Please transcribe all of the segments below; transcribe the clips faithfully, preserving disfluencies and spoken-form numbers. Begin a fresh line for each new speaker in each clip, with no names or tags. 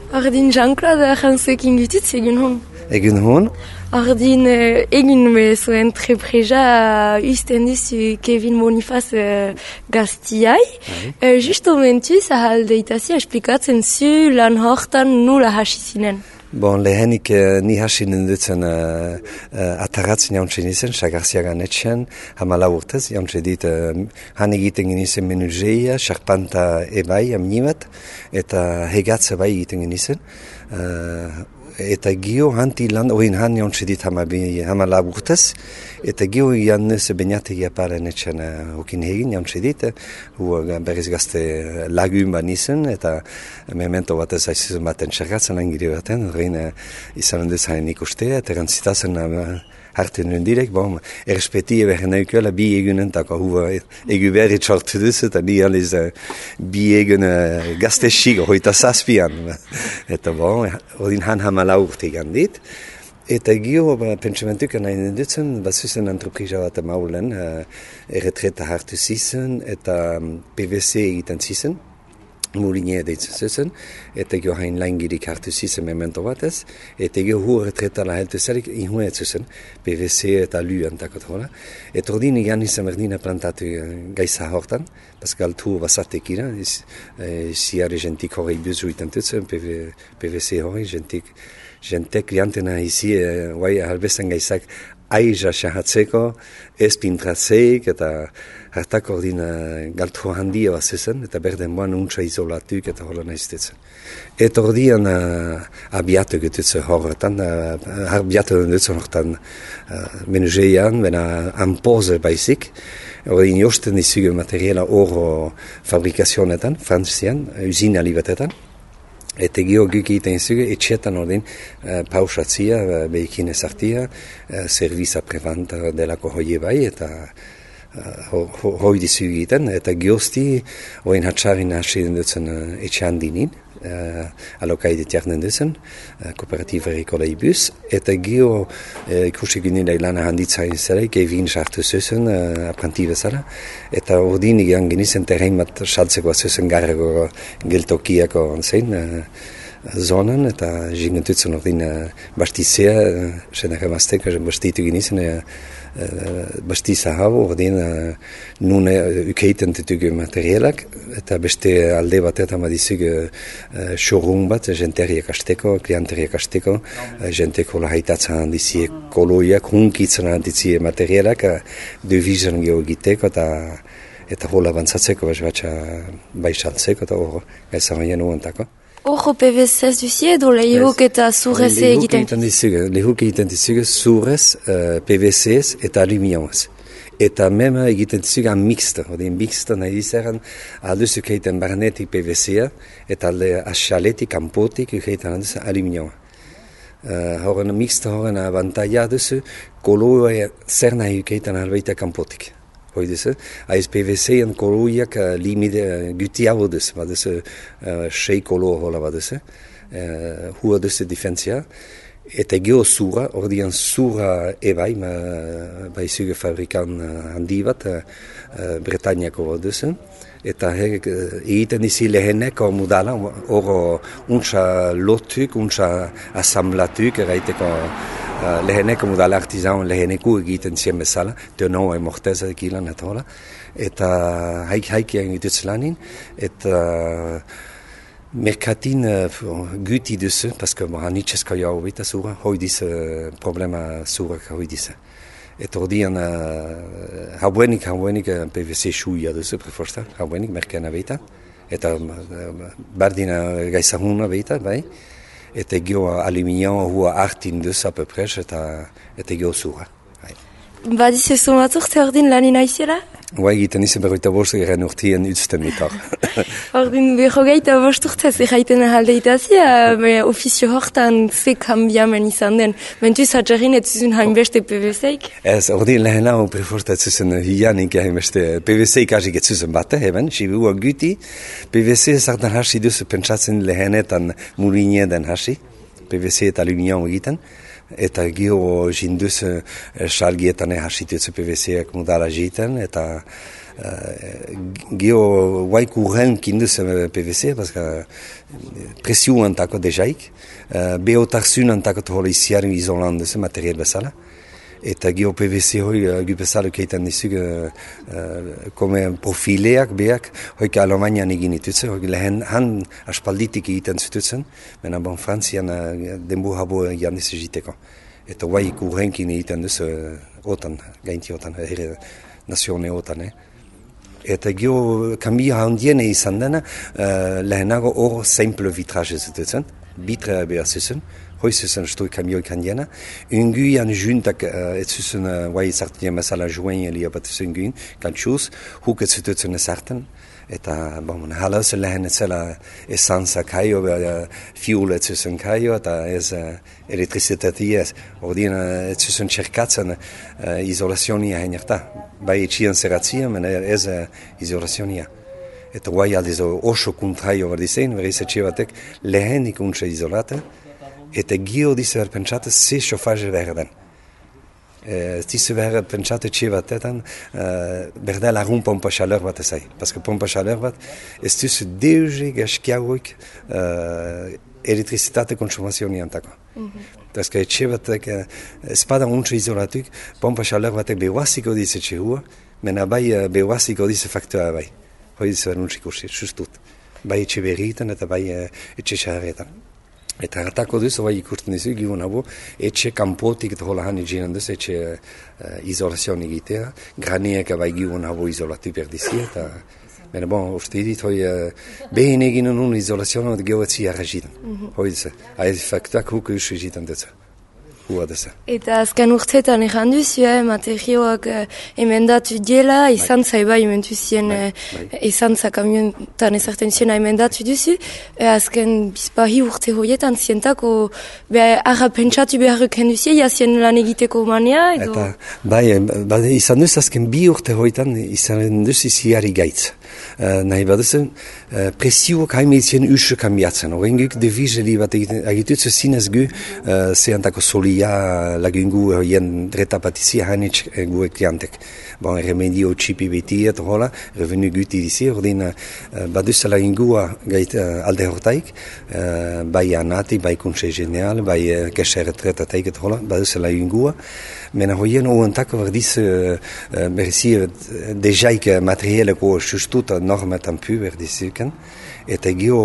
Ordin Jean-Claude jantzuekin gutitz egin hon.
Egin hon?
Ordin uh, egin zuen trepreja usten dizu Kevin Bonifaz uh, gaztiai. Uh, Justo mentuz ahaldeitazi esplikatzen zu lan hortan nula hasi zinen.
Bon, lehenik uh, ni hasi nindutzen uh, uh, ataratzen jauntzen izen, sagarziagan etxean, hamala urtez, jauntzen dit, uh, han egiten genizen menuzeia, xarpanta ebai, amnibat, eta hegatze bai egiten genizen. Uh, eta gio hanti lan, oin han jauntzen dit hamala urtez, eta gio egan nuz beniategi aparen etxean uh, hokin hegin jauntzen dit, hu uh, berriz gazte lagun ban izen, eta memento bat ez aizizun baten txergatzen angiri baten, horrein uh, izan duz hain ikustea, eta erantzitazen uh, hartu nuen direk, bon, errespetie behar neukuela bi egunen, tako hu uh, egu berri txortu duz, eta ni aliz uh, bi egun uh, gazte xig, hoita zazpian, eta bon, odin han hamala urte egan dit, eta gio pentsamentuk nahi dutzen, bat zuzen antroprija bat maulen, uh, erretreta hartu zizen, eta um, P V C egiten zizen, Moulinia deitzen zuzen, eta gio hain langirik hartu zizen memento batez, eta gio hu erretreta la heltu zerik inhuet zuzen, P V C eta luan takot hola. Eta ordin egan izan berdina plantatu gaisa hortan, paskal tu basatek ira, siare gentik horrei buzu iten tutzen, P V C horrei gentik, gentek liantena izi, guai halbezan gaisak aiza xahatzeko, ez pintratzeik, eta hartak ordin galtu handia bat zuzen, eta berden boan untsa izolatuk eta hola nahiztetzen. Eta ordian uh, abiatu gututze horretan, uh, abiatu dutzen horretan uh, menuzeian, bena ampoze baizik, ordin josten dizugu materiala oro fabrikazionetan, frantzian, usina libatetan, eta gio guk egiten zuge, etxetan ordin uh, pausatzia, uh, behikin ezartia, uh, serviza prevanta delako hoi bai, eta uh, hoi dizugu egiten, eta giozti, oin hatxarin hasi dutzen uh, etxean dinin, uh, alokaidet jarnen duzen, uh, kooperatiba erikola ibuz, eta gio uh, ikusi gynila ilana handitzain zerek, evin sartu zuzen, uh, apranti bezala, eta ordin egan genizen terrein bat saltzeko zuzen garrago geltokiako zein, uh, zonan, eta jingentutzen ordin uh, bastizea, uh, senak emazteko, bastitu genizen, uh, Uh, bastiza hau, ordin uh, nune ukeiten ditugu materialak, eta beste alde batetan badizugu uh, showroom bat, jenteriak asteko, klienteriak asteko, uh, jenteko lahaitatzen handizie koloiak, hunkitzen handizie materialak, uh, devizan geogiteko, eta eta hola abantzatzeko, batxa baisaltzeko, eta hor, gaizan baina nuentako.
Ojo P V C duzie edo lehuk eta zurrez egiten?
Lehuk egiten dizugu zurrez, uh, P V C eta aluminioz. Eta mema egiten dizugu an mixta. Odin mixta nahi dizeran, alduzuk egiten barnetik P V C eta alde asaletik, kanpotik egiten alduzu aluminioa. Uh, horren mixta horren abantaia duzu, koloa zer nahi egiten albaita kanpotik. Hoiduzu, aiz P V C-en koloiak uh, limide uh, guti hau duzu, baduzu uh, sei kolo hola baduzu, uh, hua duzu difentzia, eta geho zura, ordian zura ebai, ma, baizuge fabrikan uh, handi bat, uh, uh, Bretañako baduzu, eta her, uh, egiten dizi leheneko mudala, oro untsa lotuk, untsa asamblatuk, eraiteko Uh, leheneko mudala artizan leheneko egiten zien bezala, tenoa emorteza ekilan eta hola, eta haik haikian egituz lanin, eta merkatin uh, guti duzu, paske hanitxeska jau bita zura, hoi diz uh, problema zurak hoi diz. Eta ordian uh, hauenik, hauenik uh, P V C xuia duzu, preforsta, hauenik merkena beita, eta uh, bardina gaizahuna beita, bai, eta gio aluminio hua hartin duz apepres eta, eta gio zura.
Badiz ez zumatzuk ze ordin lanin aizela?
Guai egiten izan berroita bost garen urtien utzten mitar.
Ordin berrogeita bost urtez erraiten ahaldeitazia, ofizio hortan ze kambiamen izan den. Mentuz hatxarrin ez zuzun hainbeste P V C-ik?
Ez, ordin lehen hau preforta ez zuzun hianik hainbeste P V C-ik hasik ez zuzun bat, eben, sibua guti. P V C zartan hasi duzu pentsatzen lehenetan Moulinia den hasi, P V C eta aluminio egiten. Eta gio jinduz salgietan hasitutzu P V C-ak mudala jiten, eta Gio guai current kindus P V C, parce que presio antako dejaik, beotarsun antako tohola isiari isolan duzu material bezala. Eta gio P V C hoi gu bezala keitan dizuk kome profileak beak hoik Alemanian egin itutzen, hoik lehen han aspalditik egiten zututzen, mena bon Frantzian denbu habo egin dizu jiteko. Eta guai kurrenkin egiten duzu otan, gainti otan, herre nazione otan. Eh? Eta gio kambia handiene izan dena, lehenago hor simple vitraje zututzen, bitre behar zuzen, hoi zuzen stoi kamioik handiena. Unguian juntak ez zuzen guai zartien bezala joen elia bat zuzen guin, kantxuz, huk ez zututzen ezarten. Eta, bon, hala ez lehen ez zela esanza kaio, fiul ez zuzen kaio, eta ez elektrizitatea ez. Ordien ez zuzen txerkatzen izolazionia heinerta. Bai etxian zeratzia, men ez izolazionia. Eta guai aldiz oso kontraio berdizein, berriz etxe batek lehenik untxe izolate, eta gio dize berpentsate ze xofaje behar den. Ez dize behar pentsate etxe batetan berdea lagun pompa xaleur bat ezai. Paske pompa xaleur bat ez duzu deuze gaskiagoik elektrizitate konsumazioa antako. Paske etxe batek ez pada untxe izolatuk, pompa xaleur batek behuaziko dize etxe hua, mena bai behuaziko dize faktoa bai. Hoi dize beruntxik ursi, justut. Bai etxe berritan eta bai etxe xaharretan. Eta hartako duzu, bai ikusten dizu, gion habo, etxe kanpotik eta hola han eginen duzu, etxe uh, izolazioan egitea, graniek bai gion habo izolatu berdizi, eta bene bon, uste dit, hoi uh, behin eginen un izolazioan, eta gehoetzi jarrazitan. Mm-hmm. Hoi duzu, hain faktuak huko usu egitan duzu.
Eta azken urteetan egan duzu, eh, materioak eh, emendatu diela, izan zaiba ementu zien, eh, izan za kamiontan ezarten ziena emendatu duzu, eh, azken bizpahi urte hoietan zientako arra pentsatu beharruk henduzie, jazien lan egiteko manea, edo?
Eta, bai, bai, izan duz azken bi urte hoietan izan duz iziari gaitz. Uh, nahi baduzen, uh, presioak haimeitzien usu kambiatzen. Horren guk devizeli bat egitutzu zinez gu, uh, zehantako solia lagungu hien dreta patizia hainitz gu ekliantek. Bon, remedio txipi beti eta hola, revenu guti dizi, horren uh, baduzen lagungua gait uh, alde hortaik, uh, bai anati, bai kuntse genial, bai uh, kese retretateik eta hola, baduzen lagungua. Mena hoien oantako berdiz uh, uh, berzi uh, dejaik materieleko sustuta normetan pu berdizuken, eta gio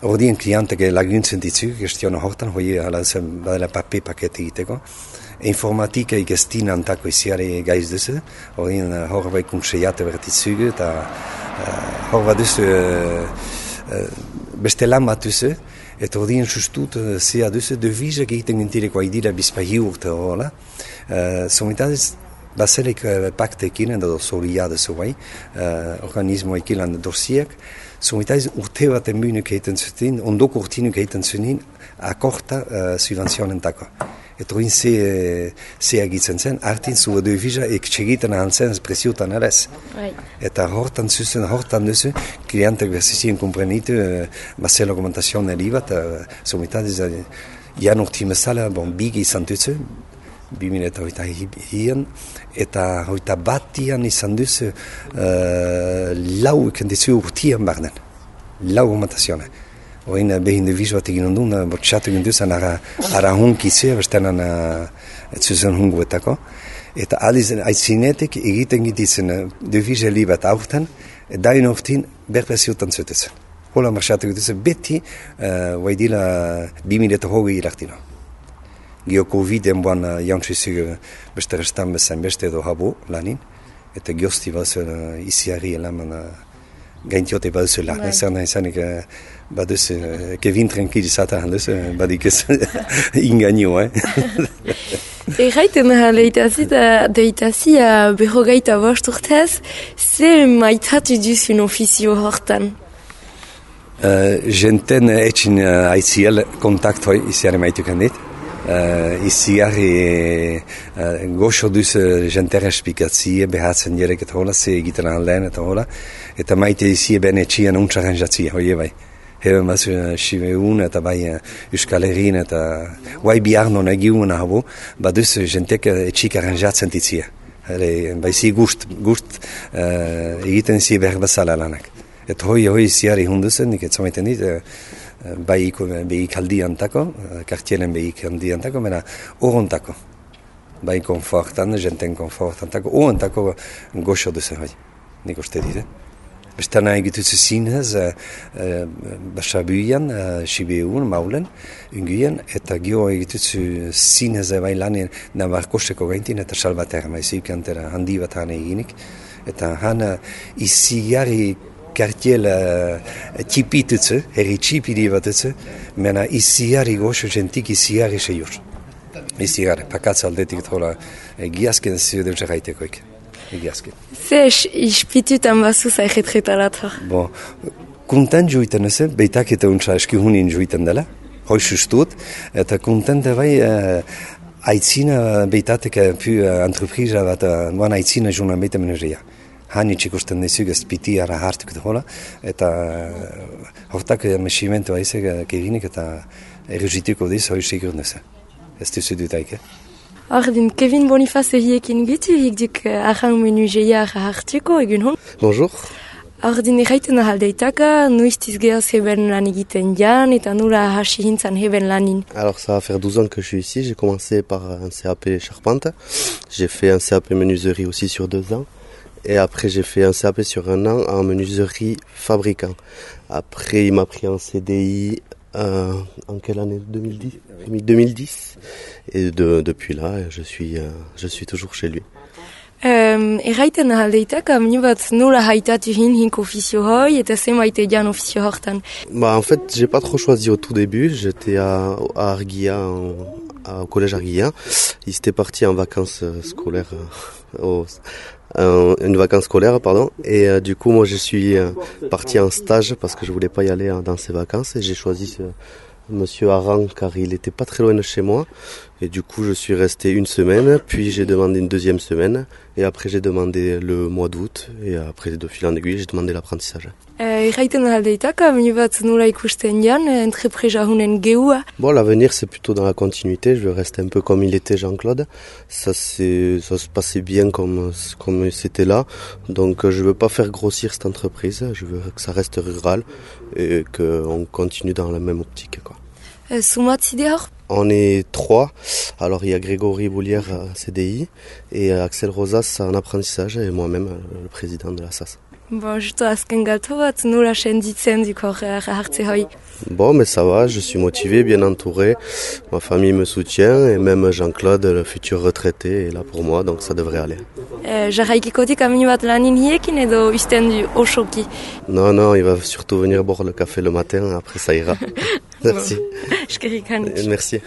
ordien klientek laguntzen ditzuk, gestiona hortan, hoi hala zen badela pape pakete egiteko. Informatika ikestin antako iziare gaiz duzu, ordien uh, hor bai kuntseiate berdizugu, eta uh, hor baduzu uh, uh, beste lan bat duzu, eta ordien sustut uh, zea duzu, devizak egiten gintireko haidira bizpahi urte horrela. Uh, Somitadez, bazelek uh, paktekin, edo solia duzu bai, uh, organismoekin lan dorsiak, somitadez urte bat enbunuk egiten zuten, ondoko urtinuk egiten zuten, akorta uh, subvenzionentako. Eta hori ze, ze agitzen zen, hartin zua devisa ektsegiten ahantzen presiotan alez. Eta hortan zuzen, hortan duzu, klientek berzizien komprenitu, uh, basel argumentazioan elibat, uh, somitadez, uh, jan urti mesala, bon, bigi izan duzu, bi mila eta hoita hien, eta hoita batian izan duzu, uh, lau ikendizu urtian barnen, lau argumentazioan. Oin behin devizo bat egin ondun, bortxatu egin duzan ara, ara hunkitzea, bestenan zuzen hunguetako. Eta aliz aitzinetik egiten gititzen devizo li bat aurten, dain hortin berpresiotan zutetzen. Hola marxatu egin duzan beti, uh, waidila bimileta hogei irartino. Gio Covid enboan uh, jantzizu beste restan bezain beste edo habo lanin, eta giozti bazu uh, iziari elaman uh, gaintiote baduzu lan, ez nahi zanik baduzu, Kevin tranquil izaten duzu, badik ez ingaino, eh?
Erraiten leitazi, deitazi berrogeita bost urtez, ze maitatu duzun ofizio hortan?
Uh, Jenten etxin uh, aitziel kontaktoi iziare maitukan dit. Uh, iziare uh, goxo duz jentere espikatzie, behatzen direk eta hola, ze egiten anlein eta hola, eta maite izie ben etxien untxarranjatzia, hoi bai. Heben bazu Siveun eta bai Euskal Herrin eta guai biarno nagiun habo, baduz jentek etxik arranjatzen ditzia. Ere, baizi gust, gust uh, egiten zi behar bezala lanak. Eta hoi, hoi ziari hunduzen, nik etzamaiten dit, uh, baik, behik aldiantako, uh, kartielen behik aldiantako, mena horontako. Bai konfortan, jenten konfortantako, horontako goxo duzen hoi, nik uste dit, eh? Bestana egitutzu zinez, uh, uh, basabuian, uh, sibeun, maulen, unguien, eta gio egitutzu zinez bai lanien nabarkoseko gaintin, eta salbatera, maizik antera handi bat hane eginik. Eta hana iziari kartiel uh, txipitutzu, herri txipidi batutzu, mena iziari goxo jentik iziari seiur. Iziari, pakatz aldetik tola, eh, giazken ziuden zerraitekoik. Egiazken.
Ze ispitutan bazu zairetretarat?
Bon, kontent juiten ez, beitak eta untsa eskihunin juiten dela, hoi sustut, eta kontent bai uh, aitzina beitatek pu uh, entreprisa bat, uh, moan aitzina junan beita menuzeia. Hani txikusten dizug ez piti ara hartuk hola, eta uh, hortak mesimentu aizek uh, keginik eta eruzituko diz, hoi sigur neze. Ez duzu dutaik, eh?
Ordin, Kevin Bonifaz egiekin gitu, hikdik ahang menuzeia hartuko egun hon?
Bonjour.
Ordin, erraiten ahaldeitaka, nuiztiz gehoz heben lan egiten jan, eta nula hasi hintzan heben lanin.
Alors ça va faire douze ans que je suis ici, j'ai commencé par un C A P charpente, j'ai fait un C A P menuiserie aussi sur deux ans, et après j'ai fait un C A P sur un an en menuiserie fabricant. Après il m'a pris en C D I euh, en quelle année? deux mille dix deux mille dix. Et de, depuis là, je suis, euh, je suis toujours chez lui.
Um, erraiten ahaldeitaka, minu bat nola haitatu hin hink ofizio hoi, eta zemaite jan ofizio hortan.
Bah, en fait, j'ai pas trop choisi au tout début. J'étais à, à Arguilla, en, à, au collège Arguilla. Ils étaient partis en vacances scolaires, euh, au, euh, une vacance scolaire, pardon. Et euh, du coup, moi, je suis euh, parti en stage parce que je voulais pas y aller hein, dans ces vacances. Et j'ai choisi ce, Monsieur Aran, car il était pas très loin de chez moi. Et du coup, je suis resté une semaine, puis j'ai demandé une deuxième semaine, et après j'ai demandé le mois d'août, et après de fil en aiguille, j'ai demandé l'apprentissage.
Erraiten ahaldeitaka, minu bat nola ikusten jan, entrepresa hunen geua.
Bon, l'avenir, c'est plutôt dans la continuité. Je veux rester un peu comme il était Jean-Claude. Ça, c'est, ça se passait bien comme, comme c'était là. Donc, je veux pas faire grossir cette entreprise. Je veux que ça reste rural et qu'on continue dans la même optique, quoi. On est trois. Alors il y a Grégory Boulière à C D I et Axel Rosas en apprentissage et moi-même le président de la S A S.
Bon, justo azken galto bat, nola senditzen diko hartze hoi?
Bon, mais ça va, je suis motivé, bien entouré. Ma famille me soutient et même Jean-Claude, le futur retraité, est là pour moi, donc ça devrait aller.
Euh, Jarraikikotik aminu bat lanin hiekin edo usten du osoki?
Non, non, il va surtout venir boire le café le matin, après ça ira. Merci.
Eskerrik anik.
Merci.